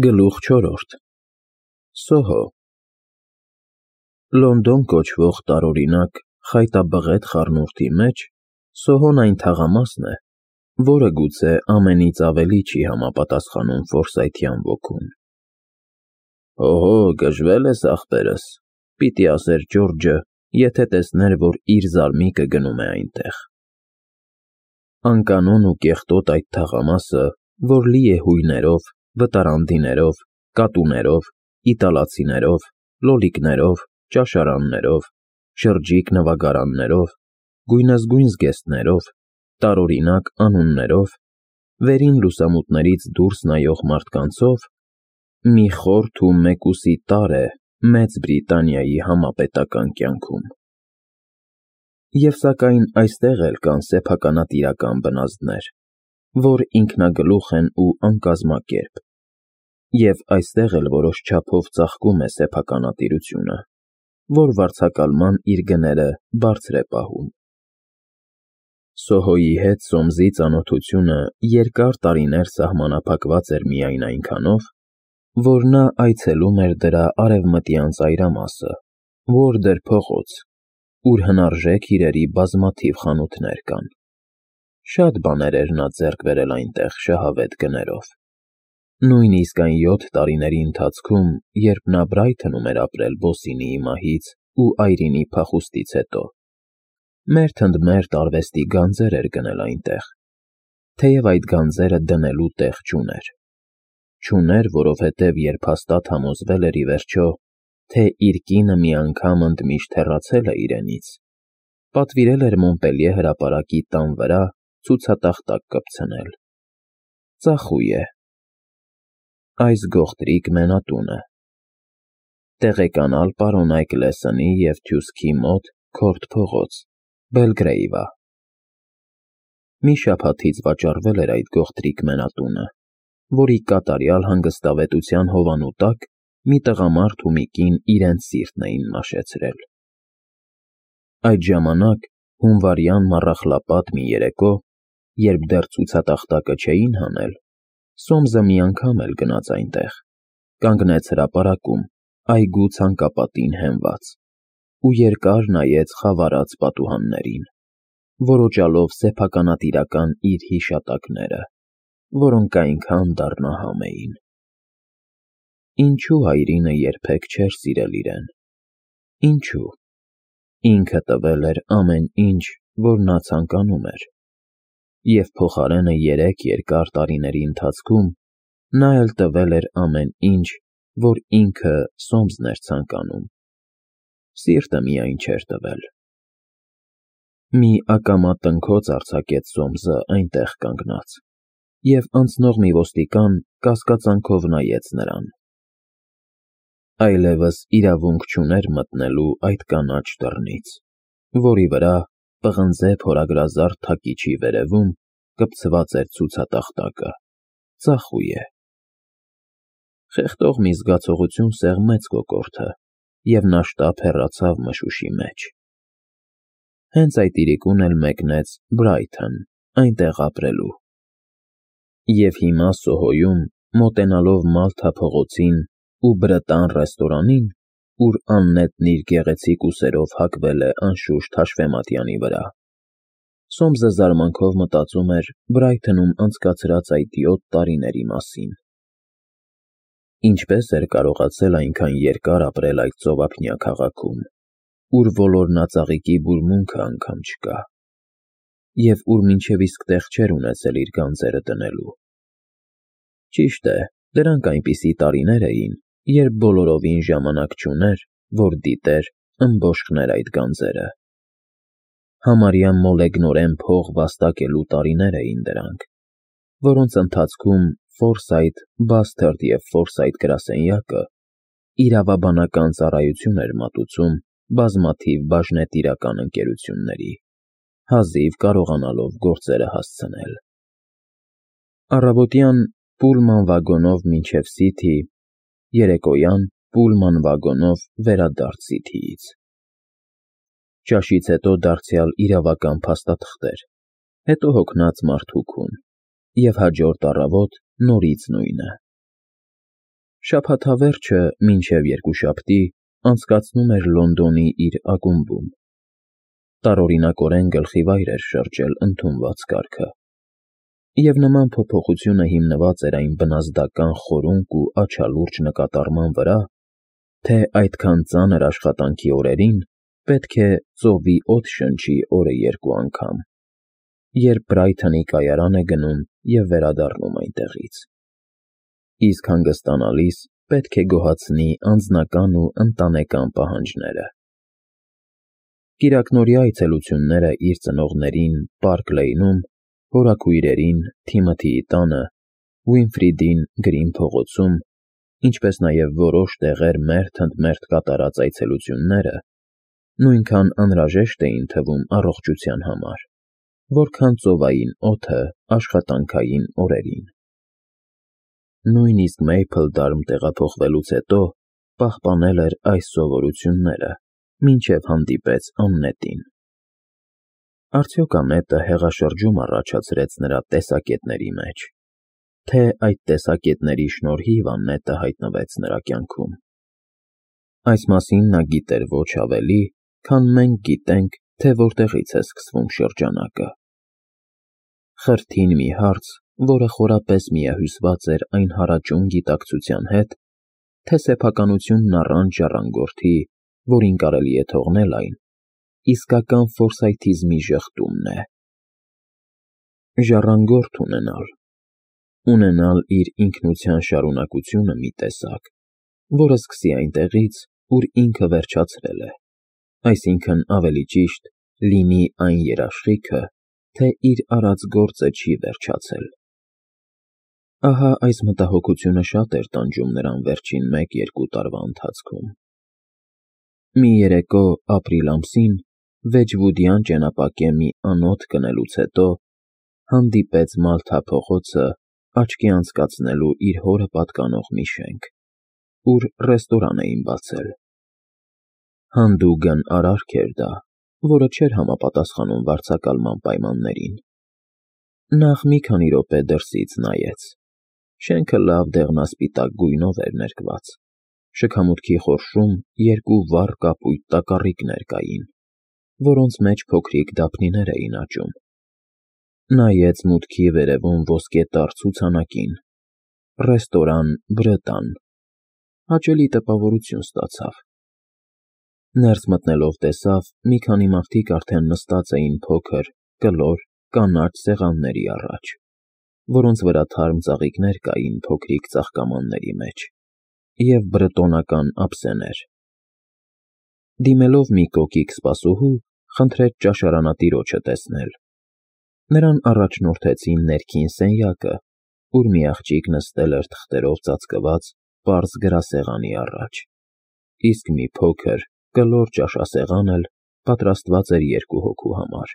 Գլուխ 4 Սոհո Լոնդոն կոչվող տարօրինակ խայտաբղետ խառնուրդի մեջ Սոհոն այն թաղամասն է, որը գուցե ամենից ավելի չի համապատասխանում ֆորսայթյան ոգուն։ «Օհո, գժվել ես, ախպերս», պիտի ասեր Ջորջը, եթե տեսներ, որ իր զարմիկը գնում է այնտեղ։ Անկանոն ու կեղտոտ այդ թաղամասը, որ լի է հույներով, վտարանդիներով, կատուներով, իտալացիներով, լոլիկներով, ճաշարաններով, շրջիկ նվագարաններով, գույնզգույն զգեստներով, տարօրինակ անուններով, վերին լուսամուտներից դուրս նայող մարդկանցով, մի խորթ ու մեկուսի տարր է Մեծ Բրիտանիայի համապետական կյանքում։ Եվ սակայն այստեղ էլ կան սեփականատիրական բնազդներ, որ ինքնագլուխ են ու անկազմակերպ, և այստեղ էլ որոշ չափով ծաղկում է սեփականատիրությունը, որ վարձակալման իր գները բարձր է պահում։ Սոհոյի հետ Սոմսի ծանոթությունը երկար տարիներ սահմանափակված էր միայն այնքանով, որ նա այցելում էր դրա արևմտյան ծայրամասը, Ուորդեր փողոց, ուր հնարժեք իրերի բազմաթիվ խանութներ կան։ Շատ բաներ էր նա ձեռք բերել այնտեղ շահավետ գներով։ Նույնիսկ այն 7 տարիների ընթացքում, երբ նա Բրայթոնում էր ապրել Բոսինիի մահից ու այրինի փախուստից հետո, մերթ ընդ մերթ արվեստի գանձեր էր գնել այնտեղ, թեև այդ գանձերը դնելու տեղ չուներ։ Չուներ, որովհետև երբ հաստատ համոզվել էր ի վերջո, թե իր կինը մի անգամ ընդմիշտ հեռացել է իրենից, պատվիրել էր Մոնպելիե հրապարակի տան վրա ցուցատախտակ կպցնել։ Ծախույ է։ Այս գողտրիկ մենատունը։ Տեղեկանալ պարոն Այգլեսոնի և Թյուսքի մոտ Քորթ փողոց, Բելգրեյվա։ Մի շաբաթից վաճառվել էր այդ գողտրիկ մենատունը, որի կատարյալ հանգստավետության հովանու տակ մի տղամարդ ու մի կին իրենց սիրտն էին մաշեցրել։ Այդ ժամանակ, հունվարյան մառախլապատ մի երեկո, երբ դեռ ցուցատախտակը չէին հանել, Սոմսը մի անգամ էլ գնաց այնտեղ, կանգնեց հրապարակում, այգու ցանկապատին հենված, ու երկար նայեց խավարած պատուհաններին, որոճալով սեփականատիրական իր հիշատակները, որոնք այնքան դառնահամ էին։ Ինչու հայրինը երբեք չէր սիրել իրեն։ Ինչու։ Ինքը տվել էր ամեն ինչ, որ նա ցանկանում էր, և փոխարենը 3 երկար տարիների ընթացքում նա էլ տվել էր ամեն ինչ, որ ինքը Սոմսն էր ցանկանում։ Սիրտը միայն չէր տվել։ Մի ակամա տնքոց արձակեց Սոմսը այնտեղ կանգնած, և անցնող մի ոստիկան կասկածանքով նայեց նրան։ Այլևս իրավունք չուներ մտնելու այդ կանաչ դռնից, որի վրա, պղնձե փորագրազարդ թակիչի վերևում, կպցված էր ցուցատախտակը, ծախույ է։ Խեղդող մի զգացողություն սեղմեց կոկորդը, և նա շտապ հեռացավ մշուշի մեջ։ Հենց այդ իրիկուն էլ մեկնեց Բրայթոն, այնտեղ ապրելու։ Եվ հիմա Սոհոյում, մոտենալով Մալթա փողոցին ու Բրտան ռեստորանին, ուր աննետն իր գեղեցիկ ուսերով հագվել է անշուշտ հաշվեմատյանի վրա, Սոմսը զարմանքով մտածում էր Բրայթոնում անցկացրած այդ 7 տարիների մասին։ Ինչպես էր կարողացել այնքան երկար ապրել այդ ծովափնյա քաղաքում, ուր ոլորնածաղիկի բուրմունքը անգամ չկա, և ուր մինչև իսկ տեղ չէր ունեցել իր գանձերը դնելու։ Ճիշտ է, դրանք այնպիսի տարիներ էին, երբ բոլորովին ժամանակ չուներ, որ դիտեր, ըմբոշխներ այդ գանձերը։ Համարյա մոլեգնորեն փող վաստակելու տարիներ էին դրանք, որոնց ընթացքում Ֆորսայթ, Բասթերդ և Ֆորսայթ գրասենյակը իրավաբանական ծառայություն էր մատուցում բազմաթիվ բաժնետիրական ընկերությունների, հազիվ կարողանալով գործերը հասցնել։ Առավոտյան պուլման վագոնով մինչև Սիթի, երեկոյան պուլման վագոնով վերադարձ Սիթիից։ Ճաշից հետո դարձյալ իրավական փաստաթղթեր, հետո հոգնած մարդուքուն, և հաջորդ առավոտ նորից նույնը։ Շաբաթավերջը մինչև երկուշաբթի անցկացնում էր Լոնդոնի իր ակումբում. տարօրինակորեն գլխիվայր էր շրջել ընդունված կարգը, և նման փոփոխությունը հիմնված էր այն բնազդական խորունկ ու աչալուրջ նկատառման վրա, թե այդքան ծանր աշխատանքի օրերին պետք է ծովի օդ շնչի օրը երկու անգամ, երբ Բրայթոնի կայարան է գնում և վերադառնում այնտեղից, իսկ հանգստանալիս պետք է գոհացնի անձնական ու ընտանեկան պահանջները։ Կիրակնօրյա այցելությունները իր ծնողներին Պարկ Լեյնում, հորաքույրերին Թիմոթիի տանը, Ուինֆրիդին Գրին փողոցում, ինչպես նաև որոշ տեղեր մերթ ընդ մերթ կատարած այցելությունները նույնքան անհրաժեշտ էին թվում առողջության համար, որքան ծովային օդը աշխատանքային օրերին։ Նույնիսկ Մեյփլդարմ տեղափոխվելուց հետո պահպանել էր այս սովորությունները, մինչև հանդիպեց Աննետին։ Արդյոք Անետը հեղաշրջում առաջացրեց նրա տեսակետների մեջ, թե այդ տեսակետների շնորհիվ Աննետը հայտնվեց նրա կյանքում։ Այս մասին նա գիտեր ոչ ավելի, քան մենք գիտենք, թե որտեղից է սկսվում շրջանակը։ Խրթին մի հարց, որը խորապես միահյուսված էր այն հարաճուն գիտակցության հետ, թե սեփականությունն առանց ժառանգորդի, որին կարելի է թողնել այն, իսկական ֆորսայթիզմի ժխտումն է։ Ժառանգորդ ունենալ իր ինքնության շարունակությունը մի տեսակ, որը սկսի այնտեղից, ուր ինքը վերջացրել է, այսինքն ավելի ճիշտ լինի այն երաշխիքը, թե իր արած գործը չի վերջացել։ Ահա այս մտահոգությունը շատ էր տանջում նրան վերջին 1-2 տարվա ընթացքում։ Մի երեկո ապրիլ ամսին Վեջվուդյան ճենապակե մի անոթ կնելուց հետո հանդիպեց Մալթա փողոցը աչքի անցկացնելու իր հորը պատկանող մի շենք, ուր ռեստորան էին բացել։ Հանդուգն արարք էր դա, որը չէր համապատասխանում վարձակալման պայմաններին։ Նախ մի քանի րոպե դրսից նայեց։ Շենքը լավ դեղնասպիտակ գույնով էր ներկված, շքամուտքի խորշում 2 վառ կապույտ տակառիկներ կային, որոնց մեջ փոքրիկ դափնիներ էին աճում։ Նայեց մուտքի վերևում ոսկետառ ցուցանակին՝ ռեստորան Բրտան, հաճելի տպավորություն ստացավ։ Ներս մտնելով տեսավ մի քանի մարդիկ արդեն նստած էին փոքր, կլոր, կանաչ սեղանների առաջ, որոնց վրա թարմ ծաղիկներ կային փոքրիկ ծաղկամանների մեջ, և բրտոնական ափսեներ։ Դիմելով մի կոկիկ սպասուհու, խնդրեց ճաշարանատիրոջը տեսնել։ Նրան առաջնորդեցին ներքին սենյակը, ուր մի աղջիկ նստել էր թղթերով ծածկված պարզ գրասեղանի առաջ, իսկ մի փոքր, կլոր ճաշասեղան էլ պատրաստված էր 2 հոգու համար։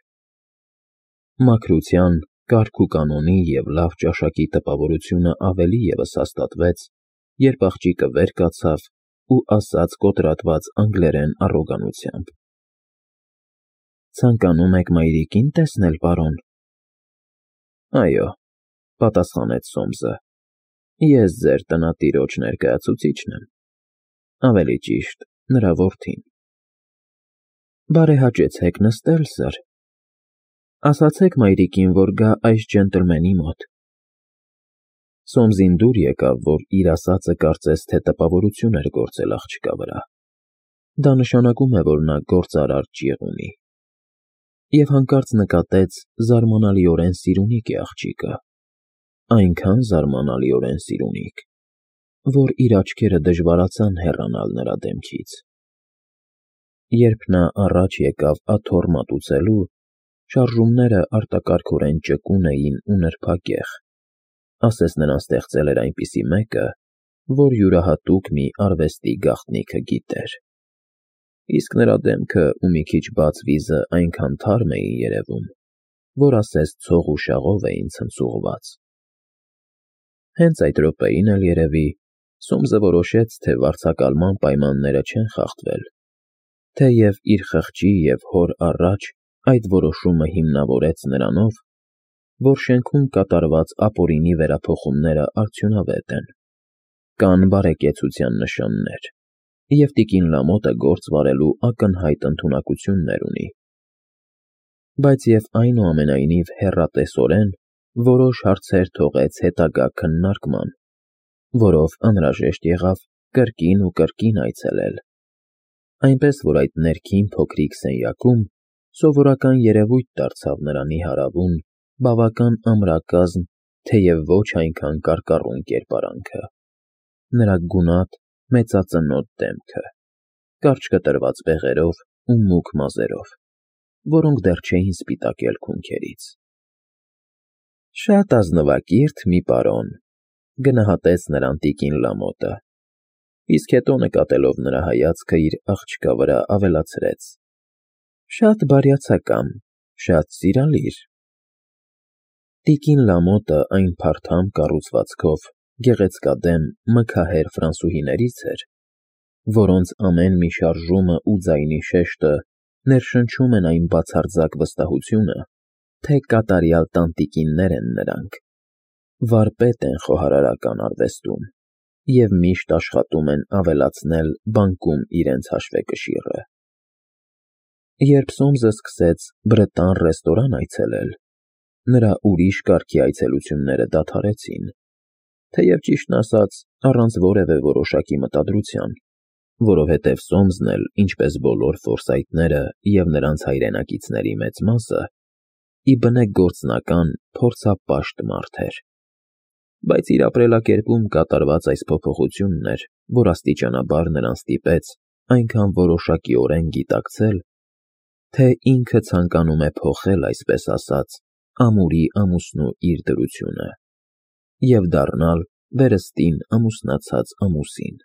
Մաքրության, կարգ ու կանոնի և լավ ճաշակի տպավորությունը ավելի ևս հաստատվեց, երբ աղջիկը վեր կացավ ու ասաց կոտրատված անգլերեն առոգանությամբ. «Ցանկանում եք մայրիկին տեսնել, պարոն»։ «Այո», պատասխանեց Սոմսը, «ես ձեր տնատիրոջ ներկայացուցիչն եմ, ավելի ճիշտ, նրա որդին»։ «Բարեհաճեցեք նստել, սըր։ Ասացեք մայրիկին, որ գա այս ջենտլմենի մոտ»։ Սոմսին դուր եկավ, որ իր ասածը կարծես թե տպավորություն էր գործել աղջկա վրա։ Դա նշանակում է, որ նա գործարար ճիղ ունի։ Եվ հանկարծ նկատեց զարմանալիորեն սիրունիկ է աղջիկը, այնքան զարմանալիորեն սիրունիկ, որ իր աչքերը դժվարացան հեռանալ նրա դեմքից։ Երբ նա առաջ եկավ աթոռ մատուցելու, շարժումները արտակարգորեն ճկուն էին ու նրբագեղ, ասես նրան ստեղծել էր այնպիսի մեկը, որ յուրահատուկ մի արվեստի գաղտնիքը գիտեր, իսկ նրա դեմքը ու մի քիչ բաց վիզը այնքան թարմ էին երևում, որ ասես ցող ու շաղով էին ցնցուղված։ Հենց այդ րոպեին էլ, երևի, Սոմսը որոշեց, թե վարձակալման պայմանները չեն խախտվել, թեև իր խղճի և հոր առաջ այդ որոշումը հիմնավորեց նրանով, որ շենքում կատարված ապօրինի վերափոխումները արդյունավետ են, Կան բարեկեցության նշաններ, և տիկին Լամոտը գործ վարելու ակնհայտ ընդունակություններ ունի։ Բայց և այնուամենայնիվ հեռատեսորեն որոշ հարցեր թողեց հետագա քննարկման, որով անհրաժեշտ եղավ կրկին ու կրկին այցելել, այնպես որ այդ ներքին փոքրիկ սենյակում սովորական երևույթ դարձավ նրա նիհարավուն, բավական ամրակազմ, թեև ոչ այնքան կարկառուն կերպարանքը, նրա գունատ, մեծածնոտ դեմքը, կարճ կտրված բեղերով ու մուգ մազերով, որոնք դեռ չէին սպիտակել քունքերից։ «Շատ ազնվակիրթ մի պարոն», գնահատեց նրան տիկին Լամոտը, իսկ հետո նկատելով նրա հայացքը իր աղջկա վրա ավելացրեց. «Շատ բարյացակամ, շատ սիրալիր»։ Տիկին Լամոտը այն փարթամ կառուցվածքով գեղեցկադեմ, մքահեր ֆրանսուհիներից էր, որոնց ամեն մի շարժումը ու ձայնի շեշտը ներշնչում են այն բացարձակ վստահությունը, թե կատարյալ տանտիկիններ են նրանք, վարպետ են խոհարարական արվեստում և միշտ աշխատում են ավելացնել բանկում իրենց հաշվեկշիռը։ Երբ Սոմսը սկսեց Բրետան ռեստորան այցելել, նրա ուրիշ կարգի այցելությունները դադարեցին, թեև ճիշտն ասած, առանց որևէ որոշակի մտադրության, որովհետև Սոմսն էլ, ինչպես բոլոր ֆորսայթները և նրանց հայրենակիցների մեծ մասը, ի բնե գործնական, փորձապաշտ մարդ էր։ Բայց իր ապրելակերպում կատարված այս փոփոխությունն էր, որ աստիճանաբար նրան ստիպեց այնքան որոշակիորեն գիտակցել, թե ինքը ցանկանում է փոխել, այսպես ասած, ամուրի ամուսնու իր դրությունը և դառնալ վերստին ամուսնացած ամուսին։